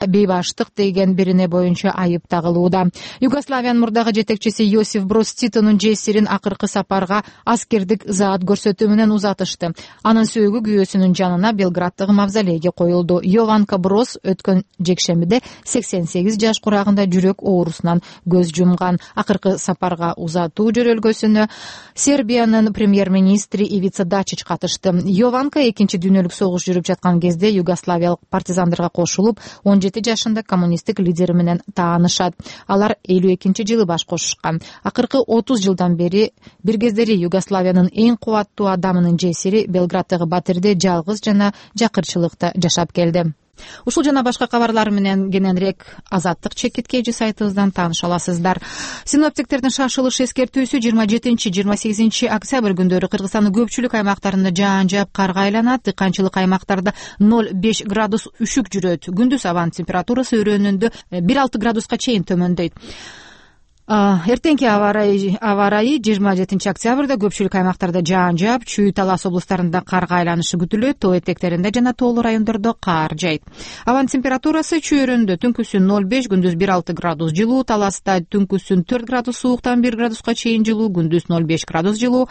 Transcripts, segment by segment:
бейбаштык деген бирине боюнча айып тагылууда. Югославиянын мурдагы жетекчиси Йосиф Брос Титонун жесирин акыркы сапарга аскердик заат көрсөтүү менен узатышты. Анын сөөгү күйөөсүнүн жанына Белграддагы мавзолейге коюлду. Йованка Брос өткөн жекшембиде 88 жаш курагында жүрөк оорусунан көз жумган. Акыркы сапарга узатуу жөрөлгөсүнө Сербиянын премьер-министри Ивица Дачич катышты. Йованка экинчи дүйнөлүк согуш жүрүп жаткан кезде югославиялык партизандарга кошулуп 17 жашында коммунисттик лидери менен таанышат. Алар 52-жылы баш кошушкан. Акыркы 30 жылдан бери бир кездери Югославиянын эң кубаттуу адамынын жесири Белграддагы батирде жалгыз жана жакырчылыкта жашап келди. Ушул жана башка кабарлар менен кененирээк Азаттык чекиткейчи сайтыбыздан тааныша аласыздар. Синоптиктердин шашылыш эскертүүсү 27-28 октябрь күндөрү Кыргызстандын көпчүлүк аймактарында жаан жаап карга айланат. Дыйканчылык аймактарда 0,5 градус үшүк жүрөт. Күндүз абанын температурасы өрөөнүндө 1,6 градуска чейин төмөндөйт. Эртеңки аба ырайы 27 октябрда көпчүлүк аймактарда жаан жаап, Чүй, Талас облустарында карга айланышы күтүлөт. Тоо этектеринде жана тоолуу райондордо кар жайт. Абанын температурасы Чүй өрөөнүндө түнкүсүн 0,5, күндүз 1,6 градус жылуу, Таласта түнкүсүн 4 градус сууктан 1 градуска чейин жылуу, күндүз 0,5 градус жылуу.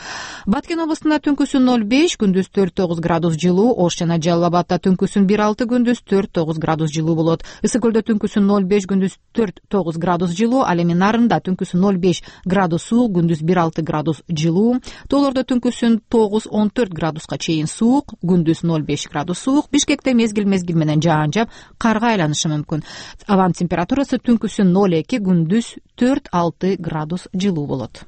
Баткен облустунда түнкүсүн 0,5, күндүз 4,9 градус жылуу, Ош жана Жалал Абадта түнкүсүн 1,6, күндүз 4,9 градус жылуу болот. Ысык көлдө түнкүсүн 0,5, күндүз 4,9 градус жылуу, ал эми Нарында түнкүсүн 0,5 градус суук, күндүз 1,6 градус жылуу. Тоолордо түнкүсүн 9-14 градуска чейин суук, күндүз 0,5 градус суук. Бишкекте мезгил менен жаан жаап, карга айланышы мүмкүн. Абанын температурасы түнкүсүн 0,2, күндүз 4-6 градус жылуу болот.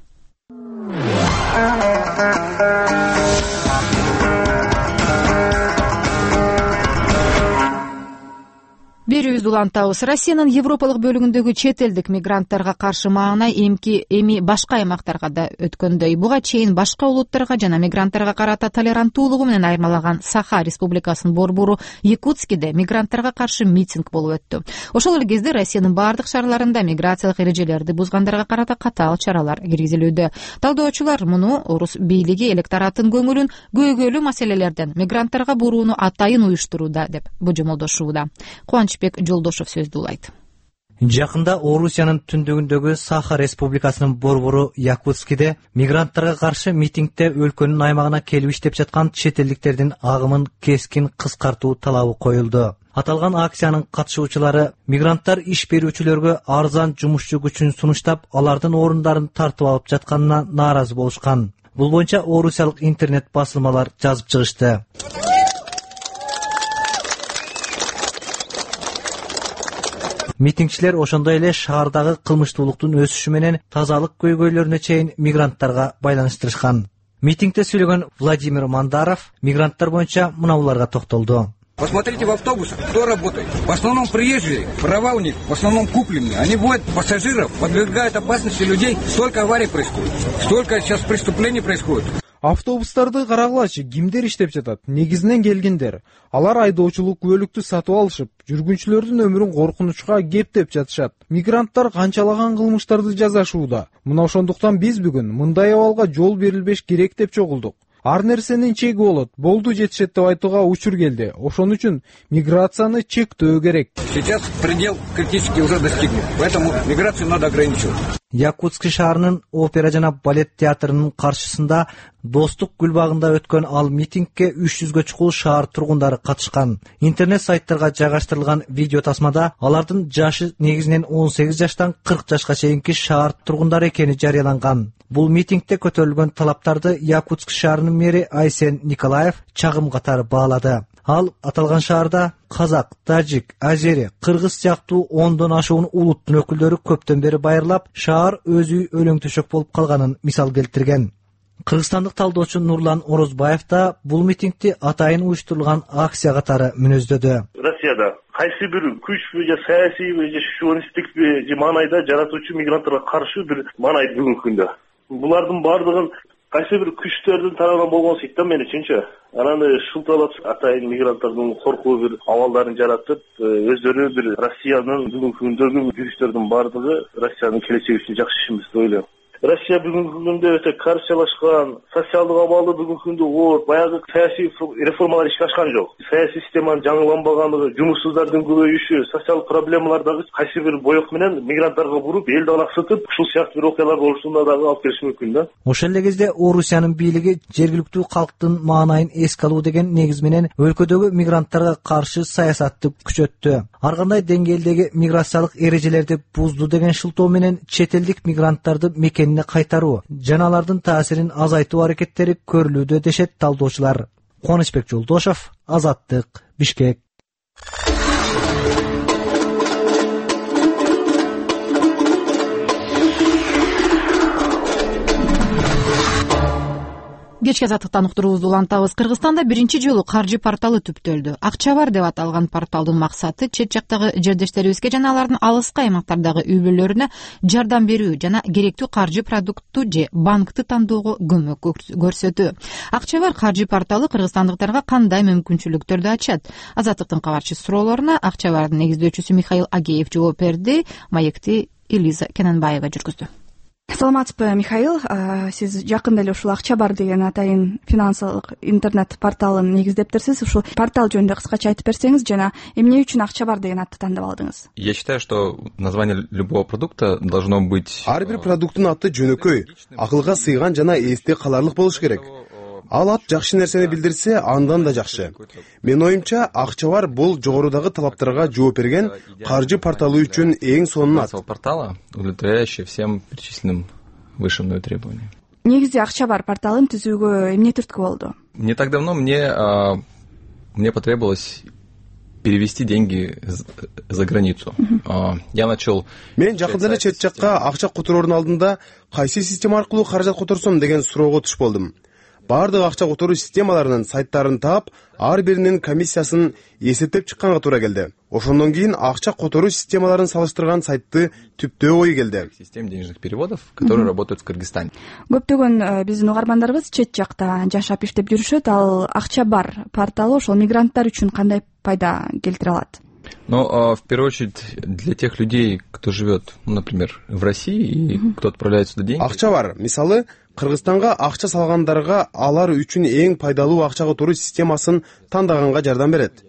Берүүбүздү улантабыз. Россиянын Европалык бөлүгүндөгү чет элдик мигранттарга каршы маана эми башка аймактарга да өткөндөй. Буга чейин башка улуттарга жана мигранттарга карата толеранттуулугу менен айырмалаган Саха Республикасынын борбору Якутскиде мигранттарга каршы митинг болуп өттү. Ошол эле кезде Россиянын бардык шаарларында миграциялык эрежелерди бузгандарга карата катаал чаралар киргизилүүдө. Талдоочулар муну орус бийлиги электораттын көңүлүн көйгөйлүү маселелерден мигранттарга бурууну атайын уюштурууда деп божомолдошууда. Кубанычбек Жолдошов сөздү улайт. Жакында Орусиянын түндүгүндөгү Саха Республикасынын борбору Якутскиде мигранттарга каршы митингде өлкөнүн аймагына келип иштеп жаткан чет элдиктердин агымын кескин кыскартуу талабы коюлду. Аталган акциянын катышуучулары мигранттар иш берүүчүлөргө арзан жумушчу күчүн сунуштап, алардын орундарын тартып алып жатканына нааразы болушкан. Бул боюнча орусиялык интернет басылмалар жазып чыгышты. Митингчилер ошондой эле шаардагы кылмыштуулуктун өсүшү менен тазалык көйгөйлөрүнө чейин мигранттарга байланыштырышкан. Митингде сүйлөгөн Владимир Мандаров мигранттар боюнча мынауларга токтолду. Посмотрите в автобусах, кто работает. В основном приезжие, права у них в основном купленные. Они водят пассажиров, подвергают опасности людей. Столько аварий происходит, столько сейчас преступлений происходит. Автобустарды карагылачы, кимдер иштеп жатат? Негизинен келгендер. Алар айдоочулук күбөлүктү сатып алышып, жүргүнчүлөрдүн өмүрүн коркунучка кептеп жатышат. Мигранттар канчалаган кылмыштарды жасашууда. Мына ошондуктан биз бүгүн мындай абалга жол берилбеш керек деп чогулдук. Ар нерсенин чеги болот. Болду жетишет деп айтууга учур келди. Ошон үчүн миграцияны чектөө керек. Сейчас предел критически уже достигнут. Поэтому миграцию надо ограничивать. Якутск шаарынын опера жана балет театрынын каршысында Достук гүлбагында өткөн ал митингке 300гө чукул шаар тургундары катышкан. Интернет сайттарга жайгаштырылган видео тасмада алардын жашы негизинен 18 жаштан 40 жашка чейинки шаар тургундары экени жарыяланган. Бул митингде көтөрүлгөн талаптарды Якутск шаарынын мэри Айсен Николаев чагым катары баалады. Ал аталган шаарда казак, тажик, азери, кыргыз сыяктуу 10дон ашуун улуттун өкүлдөрү көптөн бери байырлап, шаар өзү өлөң төшөк болуп калганын мисал келтирген. Кыргызстандык талдоочу Нурлан Орозбаев да бул митингди атайын уюштурулган акция катары мүнөздөдү. Россияда кайсы бир күчпү же саясийби же шовинисттикпи же маанайда жаратуучу мигранттарга каршы бир маанай бүгүнкү күндө. Булардын бардыгын кайсы бир күчтөрдүн тарабынан болгон сыйт да мен үчүнчү. Анан шылталап атайын мигранттардын коркуу бир абалдарын жаратып, өздөрү бир Россиянын бүгүнкү күндөгү күчтөрдүн бардыгы Россиянын келечеги үчүн жакшы ишенбес деп ойлойм. Россия бүгүнкү күндө өтө коррупциялашкан, социалдык абалы бүгүнкү күндө оор, баягы саясий реформалар ишке ашкан жок. Саясий системанын жаңыланбаганлыгы, жумушсуздардын көбөйүшү, социалдык проблемалар дагы кайсы бир боек менен мигранттарга буруп, элди алаксытып, ушул сыяктуу бир окуялар болушуна дагы алып келиши мүмкүн да. Ошол эле кезде Орусиянын бийлиги жергиликтүү калктын маанайын эске алуу деген негиз менен өлкөдөгү мигранттарга каршы саясатты күчөттү. Ар кандай деңгээлдеги миграциялык эрежелерди бузду деген шылтоо менен чет элдик мигранттарды мекенине кайтаруу жана алардын таасирин азайтуу аракеттери көрүлүүдө дешет талдоочулар. Кубанычбек Жолдошов, Азаттык, Бишкек. Кечки азаттыктан уктуруубузду улантабыз. Кыргызстанда биринчи жолу каржы порталы түптөлдү. Акча бар деп аталган порталдын максаты чет жактагы жердештерибизге жана алардын алыскы аймактардагы үй бүлөлөрүнө жардам берүү жана керектүү каржы продукту же банкты тандоого көмөк көрсөтүү. Акча бар каржы порталы кыргызстандыктарга кандай мүмкүнчүлүктөрдү ачат? Азаттыктын кабарчысы суроолоруна Акча бардын негиздөөчүсү Михаил Агеев жооп берди. Маекти Элиза Кененбаева жүргүздү. Саламатсызбы, Михаил. Сиз жакында эле ушул Акча бар деген атайын финансылык интернет порталын негиздептирсиз. Ушул портал жөнүндө кыскача айтып берсеңиз жана эмне үчүн Акча бар деген атты тандап алдыңыз? Я считаю, что название любого продукта должно быть... Ар бир продукттун аты жөнөкөй, акылга сыйган жана эсте каларлык болуш керек. Ал ат жакшы нерсени билдирсе, андан да жакшы. Менин оюмча, Акча бар бул жогорудагы талаптарга жооп берген каржы порталы үчүн эң сонун ат. Портала, удовлетворяющий всем перечисленным выше мной требованиям. Негизи Акча бар порталын түзүүгө эмне түрткү болду? Не так давно мне потребовалось перевести деньги за границу. Я начал... Мен жакында эле чет жакка акча котороордун алдында кайсы система аркылуу каражат которсом деген суроого туш болдум. Бардык акча которуу системаларынын сайттарын таап, ар биринин комиссиясын эсептеп чыкканга туура келди. Ошондон кийин акча которуу системаларын салыштырган сайтты түптөө ой келди. Систем денежных переводов, которые работают в Кыргызстане. Көптөгөн биздин угармандарыбыз чет жакта жашап иштеп жүрүшөт. Ал Акча бар порталы ошол мигранттар үчүн кандай пайда келтире алат? Ну, в первую очередь, для тех людей, кто живет, например, в России, и кто отправляет сюда деньги. Акча бар, мисалы, Кыргызстанга акча салгандарга алар үчүн эң пайдалуу акча которуу системасын тандаганга жардам берет.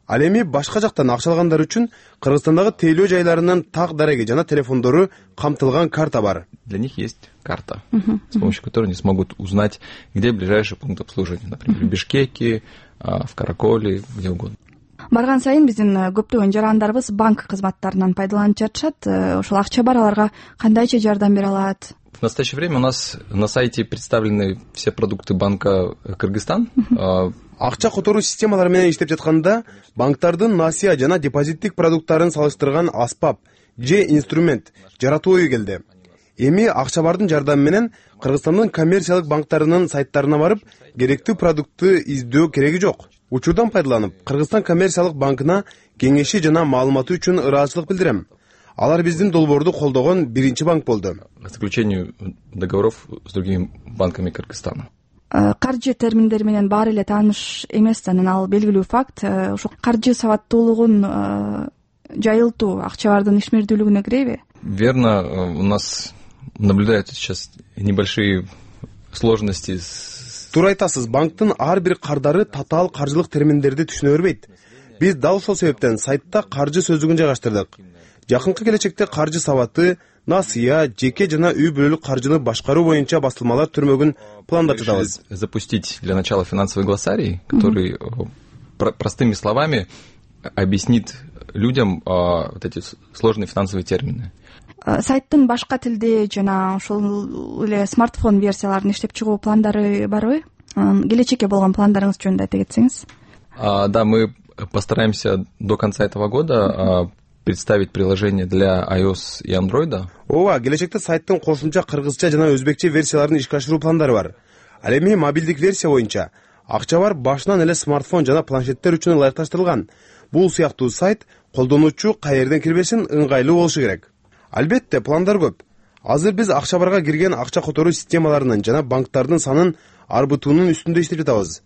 Ал эми башка жактан акча алгандар үчүн Кыргызстандагы тейлөө жайларынын так дареги жана телефондору камтылган карта бар. Для них есть карта, с помощью которой они смогут узнать, где ближайший пункт обслуживания, например, в Бишкеке, в Караколе, где угодно. Барган сайын биздин көптөгөн жарандарыбыз банк кызматтарынан пайдаланып жатышат. Ошол Акча бар аларга кандайча жардам бере алат? В настоящее время у нас на сайте представлены все продукты банка Кыргызстан. Акча которуу системалары менен иштеп жатканда банктардын насыя жана депозиттик продукттарын салыштырган аспап же инструмент жаратуу ою келди. Эми Акча бардын жардамы менен Кыргызстандын коммерциялык банктарынын сайттарына барып, керектүү продуктты издөө кереги жок. Учурдан пайдаланып, Кыргызстан коммерциялык банкына кеңеши жана маалыматы үчүн ыраазычылык билдирем. Алар биздин долбоорду колдогон биринчи банк болду. К заключению договоров с другими банками Кыргызстана. Каржы терминдери менен баары эле тааныш эмес, анан ал белгилүү факт. Ошо каржы сабаттуулугун жайылтуу Акча бардын ишмердүүлүгүнө киреби? Верно, у нас наблюдаются сейчас небольшие сложности с... Туура айтасыз, банктын ар бир кардары татаал каржылык терминдерди түшүнө бербейт. Биз дал ошол себептен сайтта каржы сөздүгүн жайгаштырдык. Жакынкы келечекте каржы сабаты, насыя, жеке жана үй бүлөлүк каржыны башкаруу боюнча басылмалар түрмөгүн пландап жатабыз. Запустить для начала финансовый глоссарий, который простыми словами объяснит людям вот эти сложные финансовые термины. Сайттын башка тилде жана ошол эле смартфон версияларын иштеп чыгуу пландары барбы? Келечекке болгон пландарыңыз жөнүндө айта кетсеңиз. Да, мы постараемся до конца этого года представить приложение для iOS и Android. Ооба, келечекте сайттын кошумча кыргызча жана өзбекче версияларын ишке ашыруу пландары бар. Ал эми мобилдик версия боюнча Акча бар башынан эле смартфон жана планшеттер үчүн ылайыкташтырылган. Бул сыяктуу сайт колдонуучу каерден кирбесин ыңгайлуу болушу керек. Албетте, пландар көп. Азыр биз Акча барга кирген акча которуу системаларынын жана банктардын санын арбытуунун үстүндө иштеп жатабыз.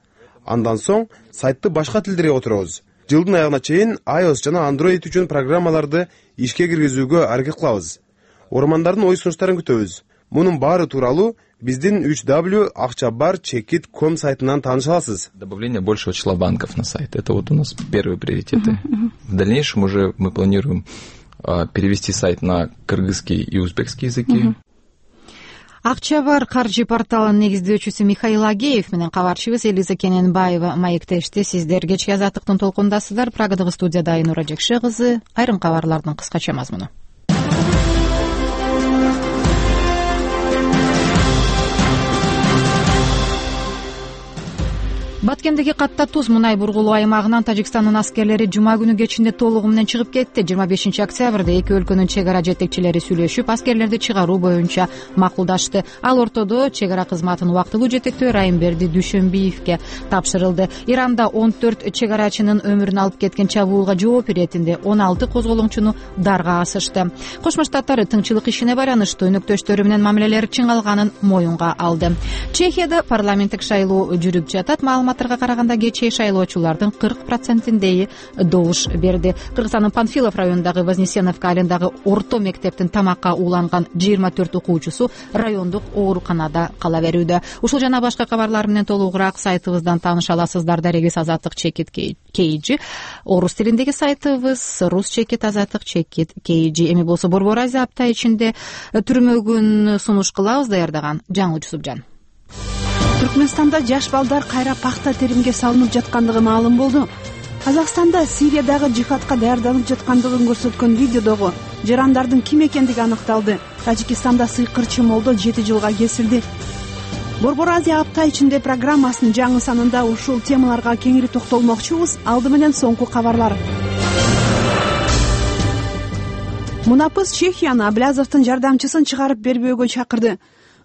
Андан соң сайтты башка тилдерге отуробуз. Жылдын аягына чейин iOS жана Android үчүн программаларды ишке киргизүүгө аракет кылабыз. Ормандардын ой сунуштарын күтөбүз. Мунун баары тууралуу биздин 3w.акчабар.com сайтынан тааныша аласыз. Добавление большего числа банков на сайт. Это вот у нас первые приоритеты. В дальнейшем уже мы планируем перевести сайт на кыргызский и узбекский языки. Акчабар каржы порталынын негиздөөчүсү Михаил Агеев менен кабарчыбыз Элиза Кененбаева маектешти. Сиздер кечки азаттыктын толкундасыздар. Прагадагы студияда Айнура Жекше кызы. Айрым кабарлардын кыскача мазмуну. Баткендеги катта туз мунай бургулуу аймагынан Тажикстандын аскерлери жума күнү кечинде толугу менен чыгып кетти. 25 октябрда эки өлкөнүн чек ара жетекчилери сүйлөшүп, аскерлерди чыгаруу боюнча макулдашты. Ал ортодо чек ара кызматын убактылуу жетектөө Райымберди Дүйшөнбиевке тапшырылды. Иранда 14 чек арачынын өмүрүн алып кеткен чабуулга жооп иретинде 16 козголоңчуну дарга асышты. Кошмо Штаттар тыңчылык ишине байланыштуу өнөктөштөрү менен мамилелери чыңалганын моюнга алды. Чехияда парламенттик шайлоо жүрүп жатат. Маалыматтарга караганда кечээ шайлоочулардын 40%-индеги добуш берди. Кыргызстандын Панфилов районундагы Вознесеновка айылындагы орто мектептин тамакка ууланган 24 окуучусу райондук ооруканада кала берүүдө. Ушул жана башка кабарлар менен толугураак сайтыбыздан тааныша аласыздар. Дарегиз Азаттык чекит KG. Орус тилиндеги сайтыбыз Рус чекит Азаттык чекит KG. Эми болсо Борбор Азия апта ичинде түрмөгүн сунуш кылабыз. Даярдаган жаңы Жусупжан. Түркмөнстанда жаш балдар кайра пахта теримге салынып жаткандыгы маалым болду. Казакстанда Сириядагы жихадка даярданып жаткандыгын көрсөткөн видеодогу жарандардын ким экендиги аныкталды. Тажикстанда сыйкырчы молдо 7 жылга кесилди. Борбор Азия апта ичинде программасынын жаңы санында ушул темаларга кеңири токтолмокчубуз. Алды менен соңку кабарлар. Мунапыс Чехияны Аблязовдун жардамчысын чыгарып бербөөгө чакырды.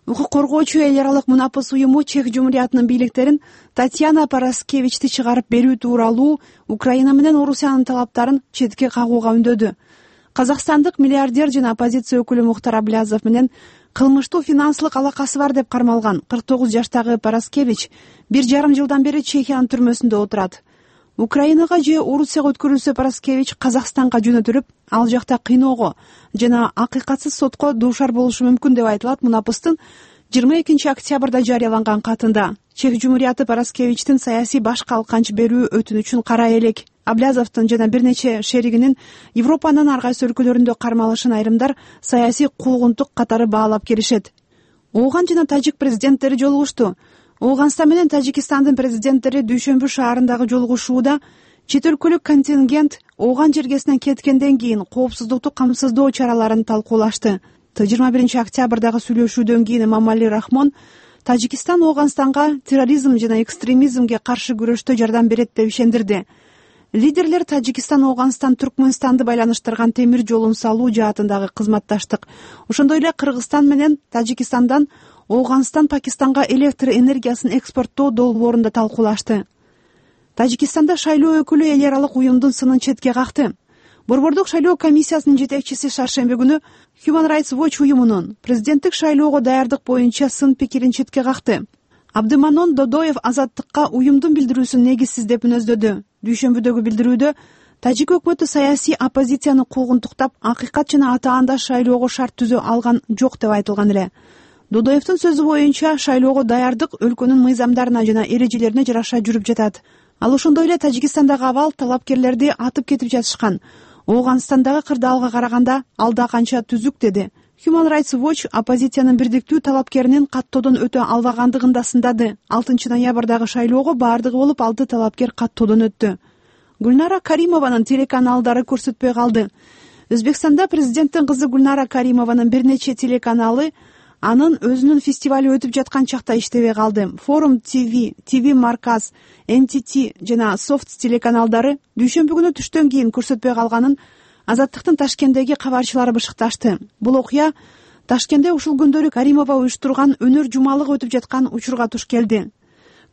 Укук коргоочу эл аралык Мунапыс уюму Чех Жумуриятынын бийликтерин Татьяна Параскевичти чыгарып берүү тууралуу Украина менен Орусиянын талаптарын четке кагууга үндөдү. Казакстандык миллиардер жана оппозиция өкүлү Мухтар Аблязов менен кылмыштуу финансылык алакасы бар деп кармалган 49 жаштагы Параскевич 1,5 жылдан бери Чехиянын түрмөсүндө отурат. Украинага же Орусияга өткөрүлсө Параскевич Казакстанга жөнөтүлүп, ал жакта кыйноого жана акыйкатсыз сотко дуушар болушу мүмкүн деп айтылат Мунапыстын 22 октябрда жарыяланган катында. Чех Жумурияты Параскевичтин саясий баш калканч берүү өтүнүчүн кара элек. Аблязовдун жана бир нече шеригинин Европанын ар кайсы өлкөлөрүндө кармалышын айрымдар саясий куугунтук катары баалап келишет. Ооган жана тажик президенттери жолугушту. Ооганстан менен Тажикстандын президенттери Дүйшөнбү шаарындагы жолугушууда чет өлкөлүк контингент Ооган жергесинен кеткенден кийин коопсуздукту камсыздоо чараларын талкуулашты. 21 октябрдагы сүйлөшүүдөн кийин Эмомали Рахмон Тажикстан Ооганстанга терроризм жана экстремизмге каршы күрөштө жардам берет деп ишендирди. Лидерлер Тажикстан Ооганстан Түркмөнстанды байланыштырган темир жолун салуу жаатындагы кызматташтык, ошондой эле Кыргызстан менен Тажикстандан Ооганстан Пакистанга электр энергиясын экспорттоо долбоорун да талкуулашты. Тажикстанда шайлоо өкүлү эл аралык уюмдун сынын четке какты. Борбордук шайлоо комиссиясынын жетекчиси шаршемби күнү Human Rights Watch уюмунун президенттик шайлоого даярдык боюнча сын пикирин четке какты. Абдыманон Додоев Азаттыкка уюмдун билдирүүсүн негизсиз деп мүнөздөдү. Дүйшөнбүдөгү билдирүүдө Тажик өкмөтү саясий оппозицияны куугунтуктап, акыйкат жана атаандаш шайлоого шарт түзө алган жок деп айтылган эле. Додоевдин сөзү боюнча шайлоого даярдык өлкөнүн мыйзамдарына жана эрежелерине жараша жүрүп жатат. Ал ошондой эле Тажикстандагы абал талапкерлерди атып кетип жатышкан. Ооганстандагы кырдаалга караганда алда канча түзүк деди. Human Rights Watch оппозициянын бирдиктүү талапкеринин каттоодон өтө албагандыгын да сындады. 6 ноябрдагы шайлоого баардыгы болуп 6 талапкер каттоодон өттү. Гүлнара Каримованын телеканалдары көрсөтпөй калды. Өзбекстанда президенттин кызы Гүлнара Каримованын бир нече телеканалы анын өзүнүн фестивали өтүп жаткан чакта иштебей калды. Forum TV, TV Markaz, NTT жана Soft телеканалдары дүйшөмбү күнү түштөн кийин көрсөтпөй калганын Азаттыктын Ташкенттеги кабарчылары бышыкташты. Бул окуя Ташкентте ушул күндөрү Каримова уюштурган өнөр жумалыгы өтүп жаткан учурга туш келди.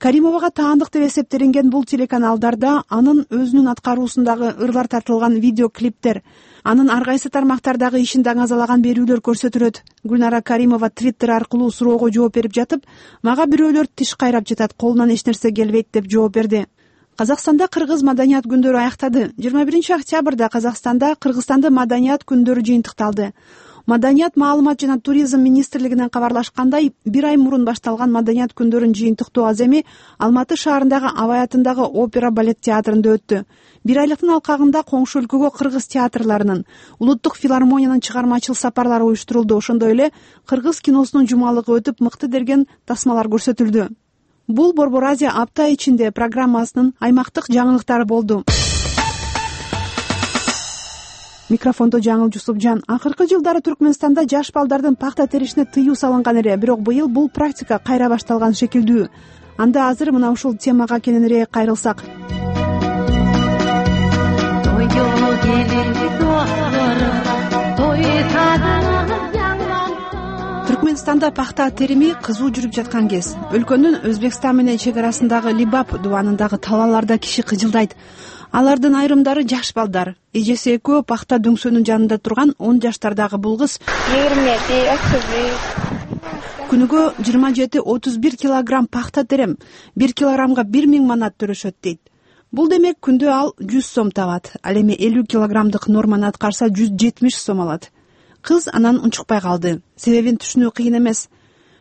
Каримовага таандык деп эсептелинген бул телеканалдарда анын өзүнүн аткаруусундагы ырлар тартылган видеоклиптер, анын ар кайсы тармактардагы ишин даңазалаган берүүлөр көрсөтүлөт. Гүлнара Каримова Twitter аркылуу суроого жооп берип жатып, мага бирөөлөр тиш кайрап жатат, колунан эч нерсе келбейт деп жооп берди. Казакстанда кыргыз маданият күндөрү аяктады. 21 октябрда Казакстанда Кыргызстанды маданият күндөрү жыйынтыкталды. Маданият, маалымат жана туризм министрлигинен кабарлашкандай, бир ай мурун башталган маданият күндөрүн жыйынтыктоо аземи Алматы шаарындагы Абай-атындагы опера балет театрында өттү. Бир айлыктын алкагында коңшу өлкөгө кыргыз театрларынын, улуттук филармониянын чыгармачыл сапарлары уюштурулду. Ошондой эле кыргыз киносунун жумалыгы өтүп, мыкты деген тасмалар көрсөтүлдү. Бул Борбор Азия апта ичинде программасынын аймактык жаңылыктары болду. Микрофондо Жаңыл Жусупжан. Акыркы жылдары Түркмөнстанда жаш балдардын пахта теришине тыюу салынган эле, бирок быйыл бул практика кайра башталган шекилдүү. Анда азыр мына ушул темага кененирээк кайрылсак. Түркмөнстанда пахта терими кызуу жүрүп жаткан кез. Өлкөнүн Өзбекстан менен чек арасындагы Либап дубанындагы талааларда киши кыжылдайт. Алардын айрымдары жаш балдар. Эжеси экөө пахта дөңсөнүн жанында турган 10 жаштардагы бул кыз күнүгө 27-31 килограмм пахта терем, 1 килограммга 1000 манат төрөшөт дейт. Бул демек күндө ал 100 сом табат. Ал эми 50 килограммдык норманы аткарса 170 сом алат. Кыз анан унчукпай калды. Себебин түшүнүү кыйын эмес.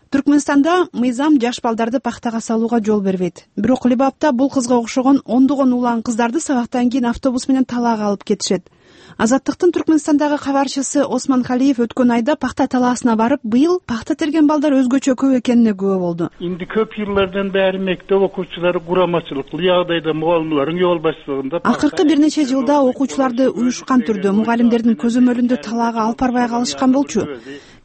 Түркмөнстанда мыйзам жаш балдарды пахтага салууга жол бербейт. Бирок Либапта бул кызга окшогон ондогон улан кыздарды сабактан кийин автобус менен талаага алып кетишет. Азаттыктын Түркмөнстандагы кабарчысы Осман Халиев өткөн айда пахта талаасына барып, быйыл пахта терген балдар өзгөчө көп экенине күбө болду. Инди көп жылдардан бери мектеп окуучулары курамачылык, ягдайда мугалимлердин жол башчылыгында акыркы бир нече жылда окуучуларды уюшкан түрдө мугалимдердин көзөмөлүндө талаага алып барбай калышкан болчу.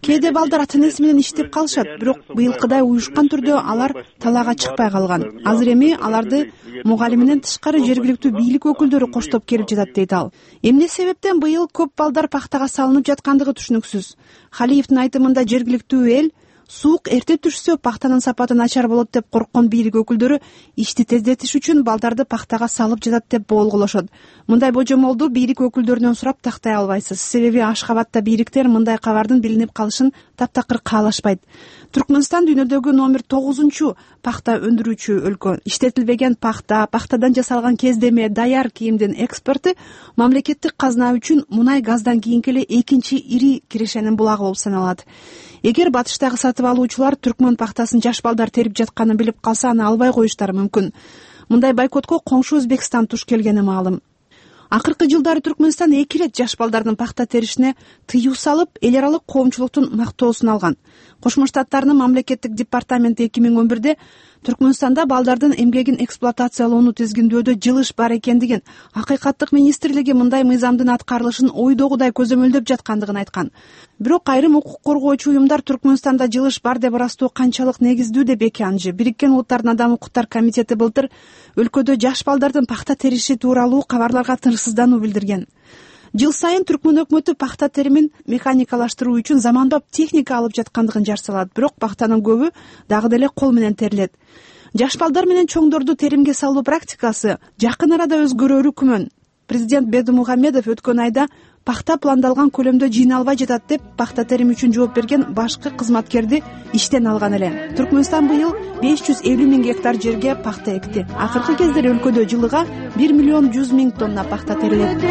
Кээде балдар ата-энеси менен иштеп калышат, бирок быйылкыдай уюшкан түрдө алар талаага чыкпай калган. Азыр эми аларды мугалиминен тышкары жергиликтүү бийлик өкүлдөрү коштоп келип жатат дейт ал. Эмне себептен быйыл көп балдар пахтага салынып жаткандыгы түшүнүксүз. Халиевдин айтымында жергиликтүү эл суук эрте түшсө пахтанын сапаты начар болот деп корккон бийлик өкүлдөрү ишти тездетиш үчүн балдарды пахтага салып жатат деп боолголошот. Мындай божомолду бийлик өкүлдөрүнөн сурап тактай албайсыз. Себеби Ашкабадта бийликтер мындай кабардын билинип калышын таптакыр каалашпайт. Түркмөнстан дүйнөдөгү номер 9 пахта өндүрүүчү өлкө. Иштетилбеген пахта, пахтадан жасалган кездеме, даяр кийимдин экспорту мамлекеттик казна үчүн мунай газдан кийинки эле экинчи ири кирешенин булагы болуп саналат. Эгер батыштагы сатып алуучулар түркмөн пахтасын жаш балдар терип жатканын билип калса, аны албай коюштары мүмкүн. Мындай бойкотко коңшу Өзбекстан туш келгени маалым. Акыркы жылдары Түркмөнстан 2 ирет жаш балдардын пахта теришине тыюу салып, эл аралык коомчулуктун мактоосун алган. Кошмо Штаттардын мамлекеттик департаменти 2011-де Түркмөнстанда балдардын эмгегин эксплуатациялоону тизгиндөөдө жылыш бар экендигин, Акыйкаттык министрлиги мындай мыйзамдын аткарылышын ойдогудай көзөмөлдөп жаткандыгын айткан. Бирок айрым укук коргоочу уюмдар Түркмөнстанда жылыш бар деп ырастоо канчалык негиздүү деп эки анжы. Бириккен Улуттардын Адам укуктар комитети былтыр өлкөдө жаш балдардын пахта териши тууралуу кабарларга тынчсыздануу билдирген. Жыл сайын Түркмөн өкмөтү пахта теримин механикалаштыруу үчүн заманбап техника алып жаткандыгын жар салат, бирок пахтанын көбү дагы деле кол менен терилет. Жаш балдар менен чоңдорду теримге салуу практикасы жакын арада өзгөрөрү күмөн. Президент Бердымухамедов өткөн айда пахта пландалган көлөмдө жыйналбай жатат деп пахта терим үчүн жооп берген башкы кызматкерди иштен алган эле. Түркмөнстан быйыл 550 000 гектар жерге пахта экти. Акыркы кездери өлкөдө жылыга 1 100 000 тонна пахта терилет.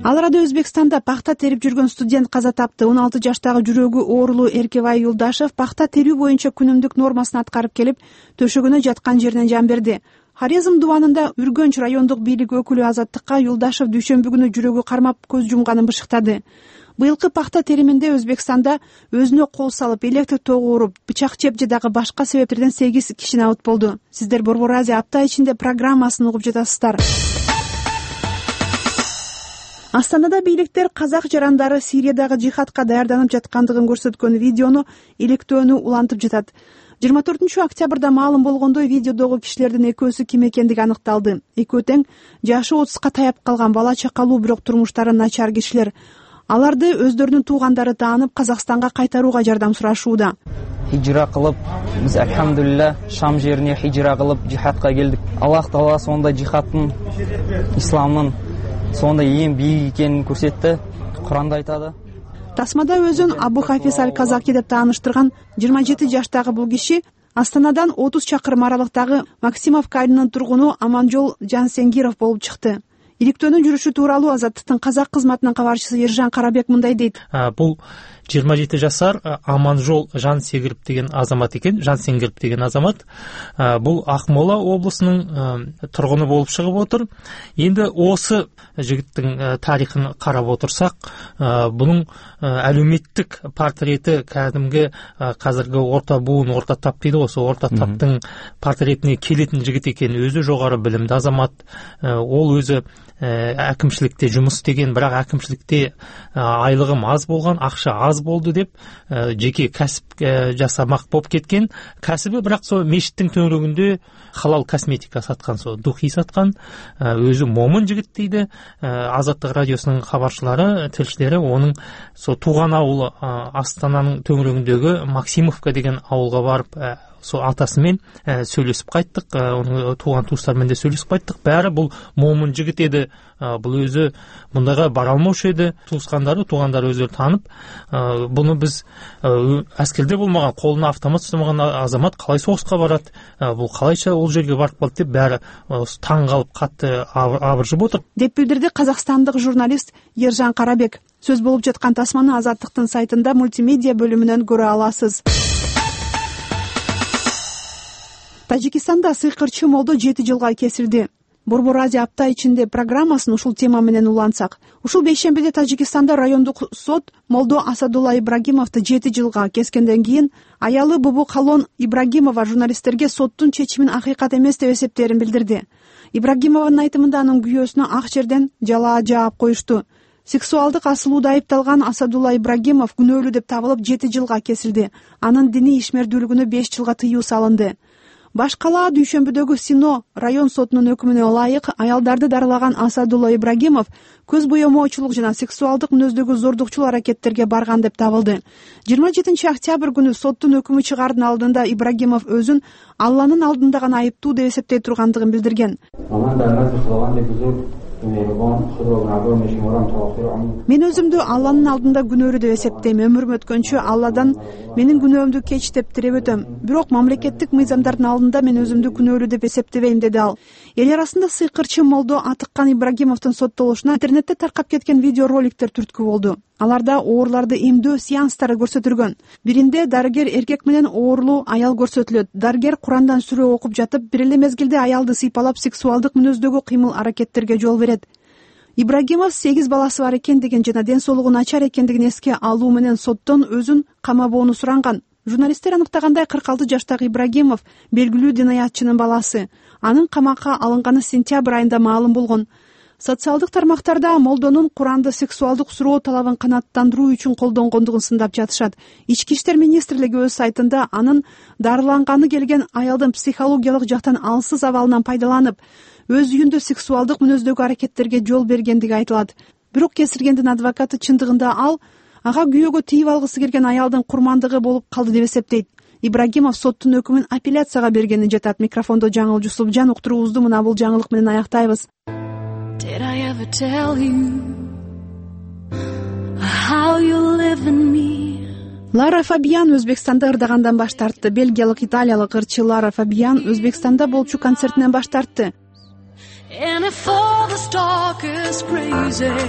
Ал арада Өзбекстанда пахта терип жүргөн студент каза тапты. 16 жаштагы жүрөгү оорулуу Эркебай Юлдашев пахта терүү боюнча күнүмдүк нормасын аткарып келип, төшөгөнө жаткан жеринен жан берди. Хорезм дубанында Үргөнч райондук бийлик өкүлү Азаттыкка Юлдашев дүйшөмбү күнү жүрөгү кармап көз жумганын бышыктады. Быйылкы пахта териминде Өзбекстанда өзүнө кол салып, электр тогу уруп, бычак жеп же дагы башка себептерден 8 киши абыт болду. Сиздер Борбор Азия апта ичинде программасын угуп жатасыздар. Астанада бийликтер казак жарандары Сириядагы жихадка даярданып жаткандыгын көрсөткөн видеону иликтөөнү улантып жатат. 24 октябрда маалым болгондой, видеодогу кишилердин экөөсү ким экендиги аныкталды. Экөө тең жашы 30ка таяп калган бала чакалуу, бирок турмуштары начар кишилер. Аларды өздөрүнүн туугандары таанып Казакстанга кайтарууга жардам сурашууда. Хижра кылып, биз алхамдулилла Шам жерине хижра кылып жихадка келдик. Аллах Таала сонда жихадтын, исламдын сонда эң бийик экенин көрсөттү. Куранда айтады. тасмада өзүн Абу Хафиз Аль-Казаки деп тааныштырган 27 жаштагы бул киши Астанадан 30 чакырым аралыктагы Максимовка айылынын тургуну Аманжол Жансенгиров болуп чыкты. Иликтөөнүн жүрүшү тууралуу Азаттыктын казак кызматынын кабарчысы Ержан Карабек мындай дейт. Бул 27 жашар Аманжол Жансенгиров деген азамат экен. Жансенгиров деген азамат бул Акмола облусунун тургуну болуп чыгып отур. Энди осы жигиттин тарыхын карап отурсак, бунун әлеуметтик портрети кәдимги казыркы орта буун, орта тап дейди го, ошо орта таптын портретине келетін жигит экен. Өзү жогору билимдүү азамат. Ол өзү әкімшілікте жұмыс істеген, бірақ әкімшілікте айлығым аз болған, ақша аз болды деп жеке кәсіп жасамақ болып кеткен. Кәсібі бірақ сол мешіттің төңірегінде халал косметика сатқан, сол духи сатқан. Өзі момын жігіт дейді. Азаттық радиосының хабаршылары, тілшілері оның сол туған ауылы Астананың төңірегіндегі Максимовка деген ауылға барып, сол атасымен сөйлесіп қайттық, оның туған туыстарымен де сөйлесіп қайттық. Бәрі бұл момын жігіт еді. Бұл өзі мұндайға бара алмаушы еді. Туысқандары, туғандары өздері танып, бұны біз әскерде болмаған, қолына автомат ұстамаған азамат қалай соғысқа барады, бұл қалайша ол жерге барып қалды деп бәрі таң қалып қатты абыржып отыр деп билдирди казакстандык журналист Ержан Карабек. Сөз болуп жаткан тасманы Азаттыктын сайтында мультимедиа бөлүмүнөн көрө аласыз. Тажикстанда сыйкырчы молдо 7 жылга кесилди. Борбор Азия апта ичинде программасын ушул тема менен улантсак. Ушул бейшембиде Тажикстанда райондук сот молдо Асадулла Ибрагимовду 7 жылга кескенден кийин аялы Бубу Калон Ибрагимова журналисттерге соттун чечимин акыйкат эмес деп эсептерин билдирди. Ибрагимованын айтымында анын күйөөсүнө ак жерден жалаа жаап коюшту. Сексуалдык асылууда айыпталган Асадулла Ибрагимов күнөөлүү деп табылып 7 жылга кесилди. Анын диний ишмердүүлүгүнө 5 жылга тыюу салынды. Баш калаа дүйшөмбүдөгү Сино район сотунун өкүмүнө ылайык аялдарды дарылаган Асадулла Ибрагимов көз боемоочулук жана сексуалдык мүнөздөгү зордукчул аракеттерге барган деп табылды. 27 октябрь күнү соттун өкүмү чыгаардын алдында Ибрагимов өзүн Алланын алдында гана айыптуу деп эсептей тургандыгын билдирген. Мен өзүмдү Алланын алдында күнөөлүү деп эсептейм. Өмүрүм өткөнчө Алладан менин күнөөмдү кеч деп тилеп өтөм. Бирок мамлекеттик мыйзамдардын алдында мен өзүмдү күнөөлүү деп эсептебейм, деди ал. Эл арасында сыйкырчы молдо атыккан Ибрагимовдун соттолушуна интернетте таркап кеткен видеороликтер түрткү болду. Аларда оорларды эмдөө сеанстары көрсөтүлгөн. Биринде дарыгер эркек менен оорлуу аял көрсөтүлөт. Дарыгер Курандан сүрө окуп жатып, бир эле мезгилде аялды сыйпалап сексуалдык мүнөздөгү кыймыл-аракеттерге жол берет. Ибрагимов 8 баласы бар экен деген жана ден соолугу начар экендигин эске алуу менен соттон өзүн камабоону суранган. Журналисттер аныктагандай 46 жаштагы Ибрагимов белгилүү динаятчынын баласы. Анын камакка алынганы сентябрь айында маалым болгон. Социалдык тармактарда молдонун Куранды сексуалдык суроо талабын канааттандыруу үчүн колдонгондугун сындап жатышат. Ички иштер министрлиги өз сайтында анын дарыланганы келген аялдын психологиялык жактан алсыз абалынан пайдаланып, өз үйүндө сексуалдык мүнөздөгү аракеттерге жол бергендиги айтылат. Бирок кесиргендин адвокаты чындыгында ал ага күйөөгө тийип алгысы келген аялдын курмандыгы болуп калды деп эсептейт. Ибрагимов соттун өкүмүн апелляцияга бергенин жатат. Микрофондо Жаңыл Жусупжан, уктуруубузду мына бул жаңылык менен аяктайбыз. Did I ever tell you how you live in me? Лара Фабиан Өзбекстанда ырдагандан баш тартты. Бельгиялык италиялык ырчы Лара Фабиан Өзбекстанда болчу концертинен баш тартты.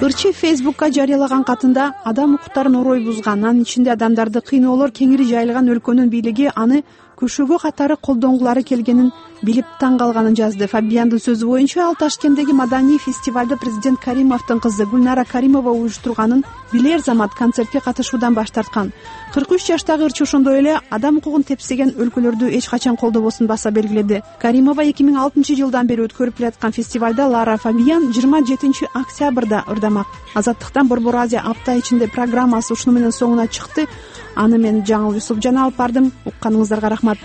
Ырчы Фейсбукка жарыялаган катында адам укуктарын орой бузган, анын ичинде адамдарды кыйноолор кеңири жайылган өлкөнүн бийлиги аны көшөгө катары колдонгулары келгенин билип таң калганын жазды. Фабиандын сөзү боюнча ал Ташкенттеги маданий фестивалда президент Каримовдун кызы Гүлнара Каримова уюштурганын билер замат концертке катышуудан баш тарткан. 43 жаштагы ырчы ошондой эле адам укугун тепсеген өлкөлөрдү эч качан колдобосун баса белгиледи. Каримова 2006 жылдан бери өткөрүп келаткан фестивалда Лара Фабиан 27 октябрда ырдамак. Азаттыктан Борбор Азия апта ичинде программасы ушуну менен соңуна чыкты. Аны мен Жаңыл Жусупжан алып бардым. Укканыңыздарга рахмат.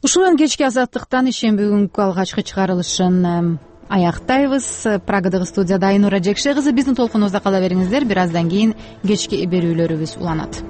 Ушул менен кечки Азаттыктан ишемби күнгү алгачкы чыгарылышын аяктайбыз. Прагадагы студияда Айнура Жекше кызы, биздин толкунубузда кала бериңиздер. Бир аздан кийин кечки берүүлөрүбүз уланат.